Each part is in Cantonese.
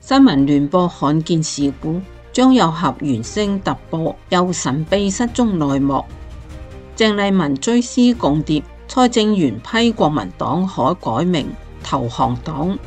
新聞聯播罕見事故，張又俠原聲突播又神秘失蹤內幕。鄭麗文追思共諜，蔡正元批國民黨可改名投降黨。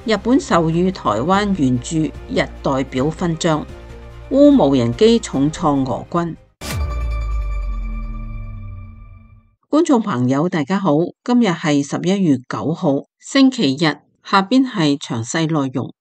日本授予台灣原住日代表勳章。烏無人機重創俄軍。觀眾朋友大家好，今日係11月9號星期日，下邊係詳細內容。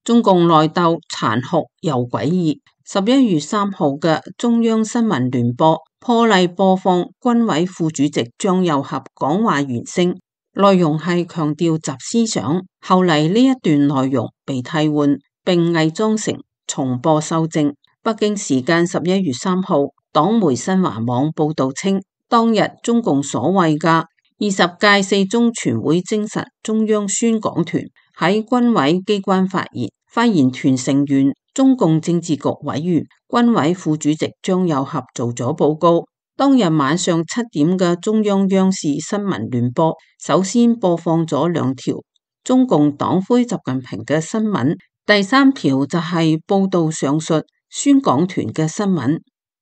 中共內鬥殘酷又詭異。11月3號嘅中央新聞聯播破例播放軍委副主席張又俠講話原聲，內容係強調習思想。後嚟呢一段內容被替換並偽裝成重播修正。北京時間11月3號，黨媒新華網報道稱，當日中共所謂嘅20屆四中全會精神中央宣講團喺軍委機關發言，發言團成員中共政治局委員、軍委副主席張又俠做咗報告。當日晚上7點嘅中央央視新聞聯播，首先播放咗2條中共黨魁習近平嘅新聞，第3條就係報道上述宣講團嘅新聞。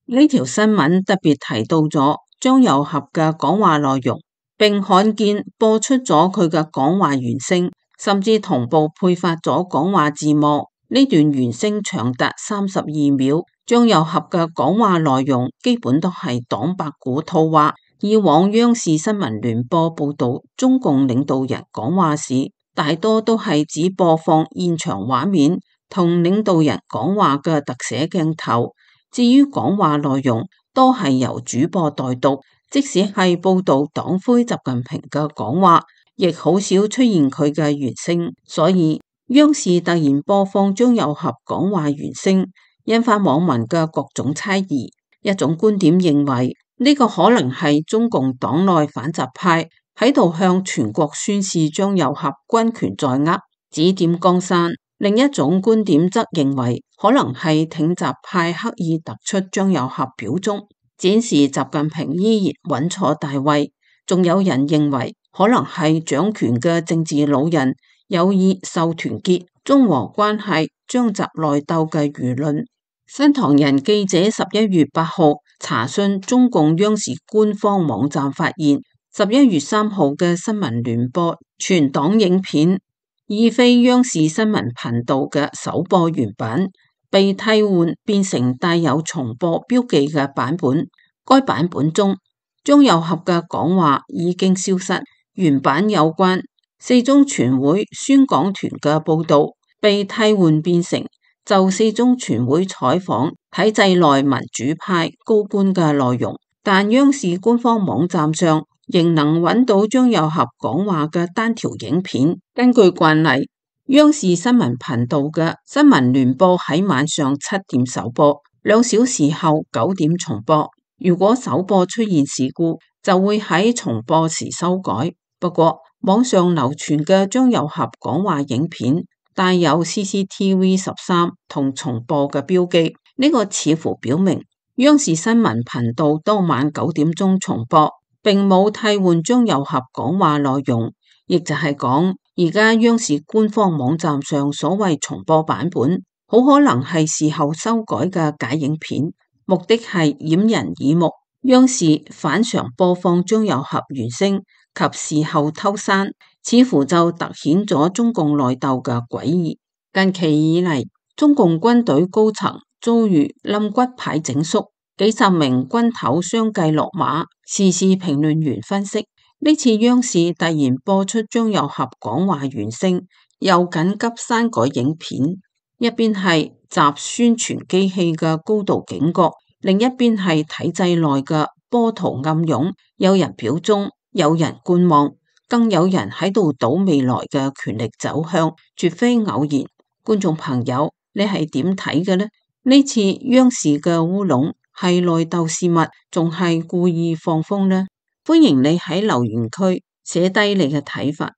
呢條新聞特別提到咗張又俠嘅講話內容，並罕見播出咗佢嘅講話原聲，甚至同步配發咗講話字幕。呢段原聲長達32秒。張又俠嘅講話內容基本都係黨八股套話。以往央視新聞聯播報道中共領導人講話時，大多都係只播放現場畫面同領導人講話嘅特寫鏡頭，至於講話內容都係由主播代讀。即使係報道黨魁習近平嘅講話，亦好少出現佢嘅原聲。所以央視突然播放張又俠講話原聲，引發網民嘅各種猜疑。一種觀點認為呢個可能係中共黨內反習派喺度向全國宣示張又俠軍權在握，指點江山。另一種觀點則認為可能係挺習派刻意突出張又俠表忠，展示習近平依然穩坐大位。仲有人認為可能係掌權嘅政治老人有意秀團結、中和關係、張習內鬥嘅輿論。新唐人記者11月8號查詢中共央視官方網站發現，11月3號嘅新聞聯播全黨影片已非央視新聞頻道嘅首播原版，被替換變成帶有重播標記嘅版本。該版本中張又俠嘅講話已經消失，原版有關四中全會宣講團嘅報道被替換變成就四中全會採訪體制內民主派高官嘅內容。但央視官方網站上仍能揾到張又俠講話嘅單條影片。根據慣例，央視新聞頻道嘅新聞聯播喺晚上7點首播，2小時後9點重播。如果首播出現事故，就會喺重播時修改。不過網上流傳嘅張又俠講話影片帶有 CCTV 13同重播嘅標記，呢個似乎表明央視新聞頻道當晚9點鐘重播，並冇替換張又俠講話內容。亦就係講，而家央視官方網站上所謂重播版本，好可能係事後修改嘅假影片，目的係掩人耳目。央視反常播放張又俠原聲及事後偷刪，似乎就凸顯咗中共內鬥嘅詭異。近期以嚟，中共軍隊高層遭遇冧骨牌整肅，幾十名軍頭相繼落馬。時事評論員分析，呢次央視突然播出張又俠講話原聲，又緊急刪改影片，一邊係習宣傳機器嘅高度警覺，另一邊係體制內嘅波濤暗湧，有人表忠，有人觀望，更有人喺度賭未來嘅權力走向，絕非偶然。觀眾朋友，你係點睇嘅呢？呢次央視嘅烏龍係內鬥事物，仲係故意放風呢？歡迎你喺留言區寫低你嘅睇法。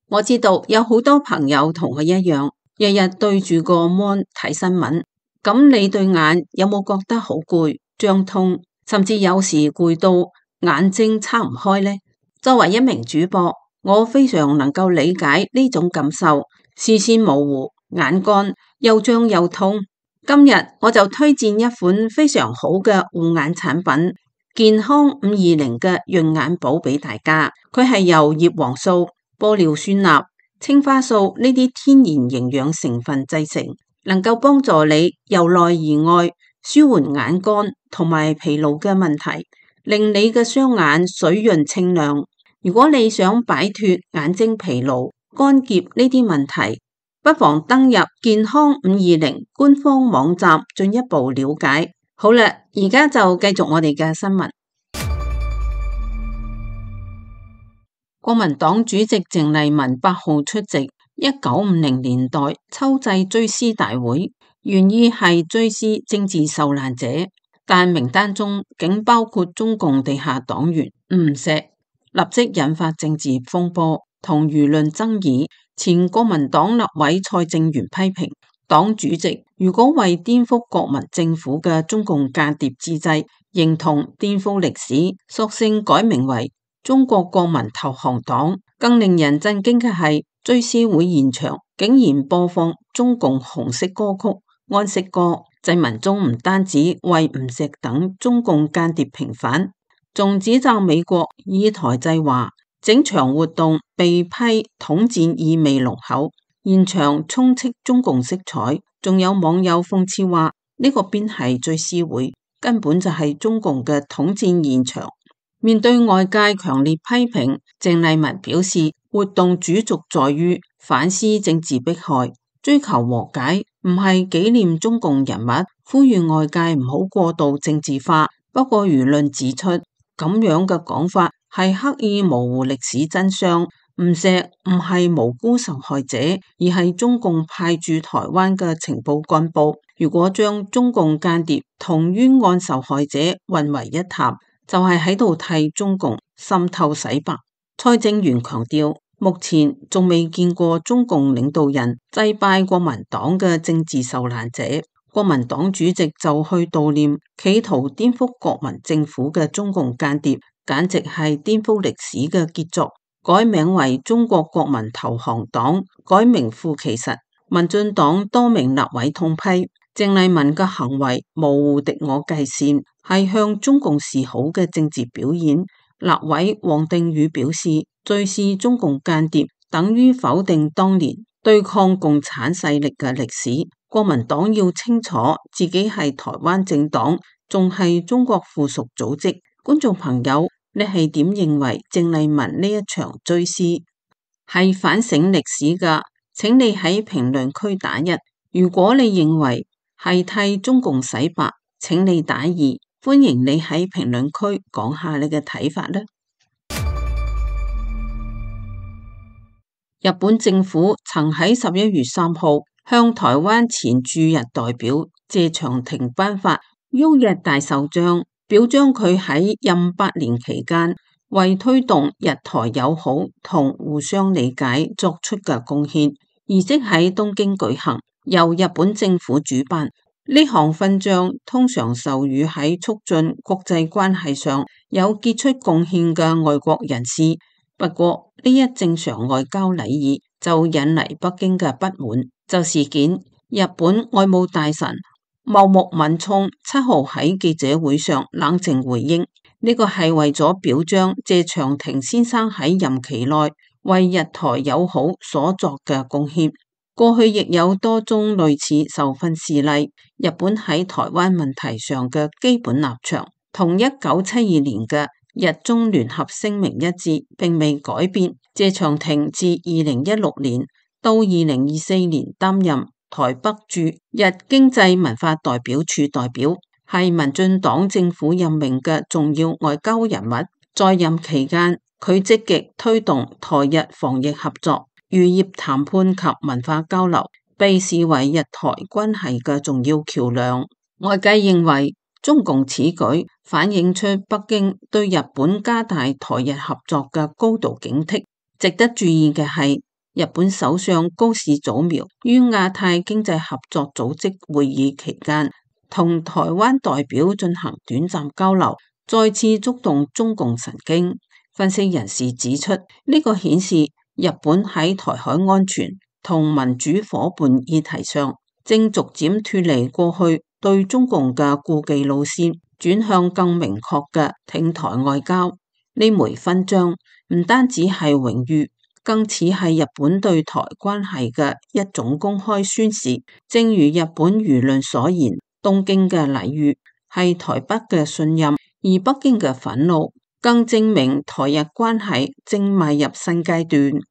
我知道有好多朋友同我一樣，日日對住個 mon 睇新聞，咁你對眼有冇覺得好攰、脹痛，甚至有時攰到眼睛撐唔開呢？作為一名主播，我非常能夠理解呢種感受。視線模糊、眼乾、又脹又痛。今日我就推薦一款非常好嘅護眼產品健康520嘅潤眼寶俾大家。佢係由葉黃素、玻尿酸鈉、青花素呢啲天然營養成分製成，能夠幫助你由內而外舒緩眼乾同埋疲勞嘅問題，令你嘅雙眼水潤清亮。如果你想擺脫眼睛疲勞、乾澀呢啲問題，不妨登入健康520官方網站進一步了解。好啦，而家就繼續我哋嘅新聞。國民黨主席鄭麗文8號出席1950年代秋祭追思大會，原意係追思政治受難者，但名單中竟包括中共地下黨員吳石，立即引發政治風波同輿論爭議。前國民黨立委蔡正元批評黨主席如果為顛覆國民政府嘅中共間諜之際認同顛覆歷史，索性改名為中國國民投降黨。更令人震驚嘅係，追思會現場竟然播放中共紅色歌曲安息歌，祭文中唔單止為吳石等中共間諜平反，仲指責美國以台制華，整場活動被批統戰意味濃厚，現場充斥中共色彩。仲有網友諷刺話，呢個邊係追思會，根本就係中共嘅統戰現場。面對外界強烈批評，鄭麗文表示，活動主軸在於反思政治迫害，追求和解，唔係紀念中共人物，呼籲外界唔好過度政治化。不過輿論指出，咁樣嘅講法係刻意模糊歷史真相。吳石唔係無辜受害者，而係中共派駐台灣嘅情報幹部。如果將中共間諜同冤案受害者混為一談，就係喺度替中共滲透洗白。蔡正元強調，目前仲未見過中共領導人祭拜國民黨嘅政治受難者，國民黨主席就去悼念企圖顛覆國民政府嘅中共間諜，簡直係顛覆歷史嘅傑作。改名為中國國民投降黨，改名副其實。民進黨多名立委痛批鄭麗文嘅行為模糊敵我界線，係向中共示好嘅政治表演。立委王定宇表示，追思中共間諜等於否定當年對抗共產勢力嘅歷史。國民黨要清楚自己係台灣政黨，仲係中國附屬組織。觀眾朋友，你係點認為鄭麗文呢一場追思係反省歷史噶？請你喺評論區打1。如果你認為係替中共洗白，請你打2。歡迎你喺評論區講下你嘅睇法啦。日本政府曾喺11月3號向台灣前駐日代表謝長廷頒發旭日大綬章，表彰佢喺任8年期間為推動日台友好同互相理解作出嘅貢獻。儀式喺東京舉行，由日本政府主辦。呢項勳章通常授予喺促進國際關係上有傑出貢獻嘅外國人士。不過呢一正常外交禮儀就引嚟北京嘅不滿。就事件，日本外務大臣茂木敏充7號喺記者會上冷靜回應，呢個係為咗表彰謝長廷先生喺任期內為日台友好所作嘅貢獻。過去亦有多宗類似受勳事例。日本喺台灣問題上嘅基本立場同1972年嘅日中聯合聲明一致，並未改變。謝長廷自2016年到2024年擔任台北駐日經濟文化代表處代表，係民進黨政府任命嘅重要外交人物。在任期間，佢積極推動台日防疫合作、漁業談判及文化交流，被視為日台關係嘅重要橋樑。外界認為中共此舉反映出北京對日本加大台日合作嘅高度警惕。值得注意嘅係，日本首相高市早苗於亞太經濟合作組織會議期間同台灣代表進行短暫交流，再次觸動中共神經。分析人士指出，呢個顯示日本喺台海安全同民主夥伴議題上，正逐漸脫離過去對中共嘅顧忌路線，轉向更明確嘅挺台外交。呢枚勳章唔單止係榮譽，更似係日本對台關係嘅一種公開宣示。正如日本輿論所言，東京嘅禮遇係台北嘅信任，而北京嘅憤怒更證明台日關係正邁入新階段。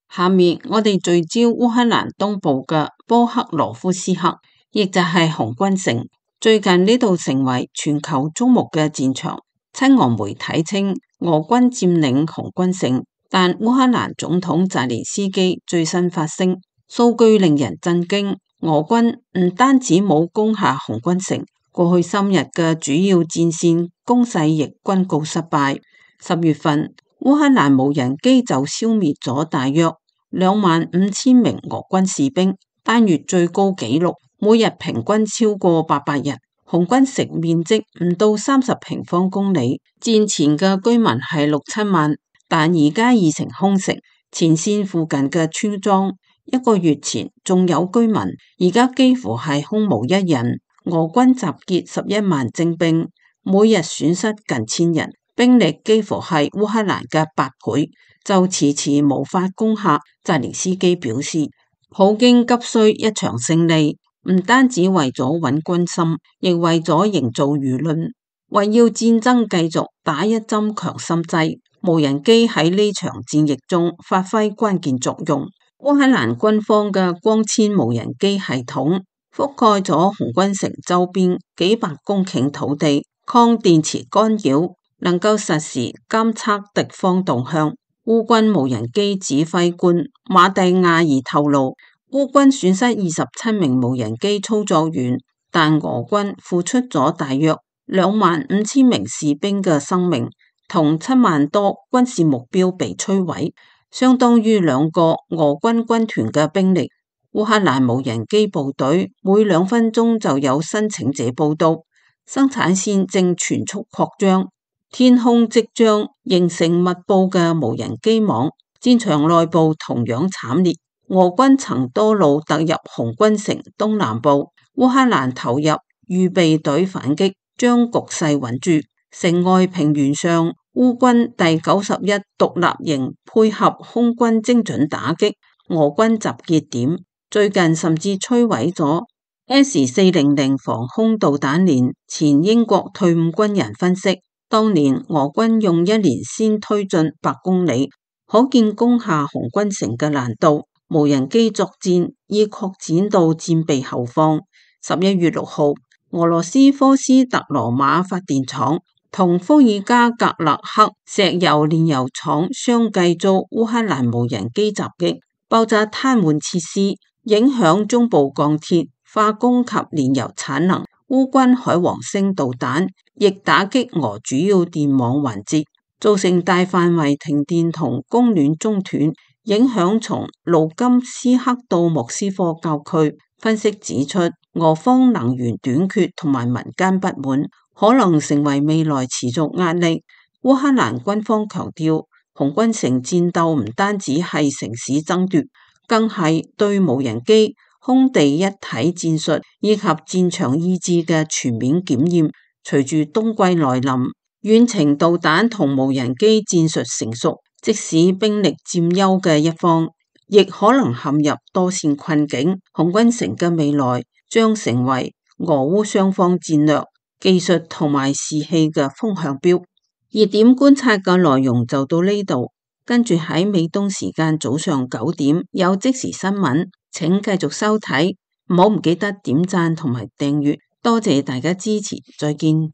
下面我哋聚焦烏克蘭東部嘅波克羅夫斯克，亦就係紅軍城。最近呢度成為全球矚目嘅戰場。親俄媒體稱俄軍佔領紅軍城，但烏克蘭總統澤連斯基最新發聲，數據令人震驚。俄軍唔單止冇攻下紅軍城，過去3日嘅主要戰線攻勢亦均告失敗。10月份，烏克蘭無人機就消滅咗大約25,000名俄軍士兵，單月最高紀錄，每日平均超過800人。紅軍城面積唔到30平方公里，戰前嘅居民係6-7萬，但而家已成空城。前線附近嘅村莊1個月前仲有居民，而家幾乎係空無一人。俄軍集結11萬精兵，每日損失近1000人，兵力幾乎係烏克蘭嘅8倍，就遲遲無法攻下。澤連斯基表示，普京急需一場勝利，唔單止為咗穩軍心，亦為咗營造輿論，為要戰爭繼續打一針強心劑。無人機喺呢場戰役中發揮關鍵作用。烏克蘭軍方嘅光纖無人機系統覆蓋咗紅軍城周邊幾百公頃土地，抗電磁干擾，能夠實時監測敵方動向。烏軍無人機指揮官馬蒂亞爾透露，烏軍損失27名無人機操作員，但俄軍付出咗大約25,000名士兵嘅生命，同7萬多軍事目標被摧毀，相當於2個俄軍軍團嘅兵力。烏克蘭無人機部隊每2分鐘就有申請者報到，生產線正全速擴張，天空即將形成密布嘅無人機網。戰場內部同樣慘烈，俄軍曾多路突入紅軍城東南部，烏克蘭投入預備隊反擊，將局勢穩住。城外平原上，烏軍第91獨立營配合空軍精準打擊俄軍集結點，最近甚至摧毀咗 S-400 防空導彈連。前英國退伍軍人分析，當年俄軍用1年先推進8公里，可見攻下紅軍城嘅難度。無人機作戰已擴展到戰備後方。11月6號，俄羅斯科斯特羅馬發電廠同伏爾加格勒克石油煉油廠相繼遭烏克蘭無人機襲擊，爆炸癱瘓設施，影響中部鋼鐵、化工及煉油產能。烏軍海王星導彈亦打擊俄主要電網環節，造成大範圍停電同供暖中斷，影響從盧甘斯克到莫斯科郊區。分析指出，俄方能源短缺同埋民間不滿可能成為未來持續壓力。烏克蘭軍方強調，紅軍城戰鬥唔單止係城市爭奪，更係對無人機、空地一體戰術以及戰場意志嘅全面檢驗。隨住冬季來臨，遠程導彈同無人機戰術成熟，即使兵力佔優嘅一方，亦可能陷入多線困境。紅軍城嘅未來將成為俄烏雙方戰略、技術同埋士氣嘅風向標。熱點觀察嘅內容就到呢度，跟住喺美東時間早上9點有即時新聞，請繼續收睇，唔記得點讚同埋訂閱，多謝大家支持，再見。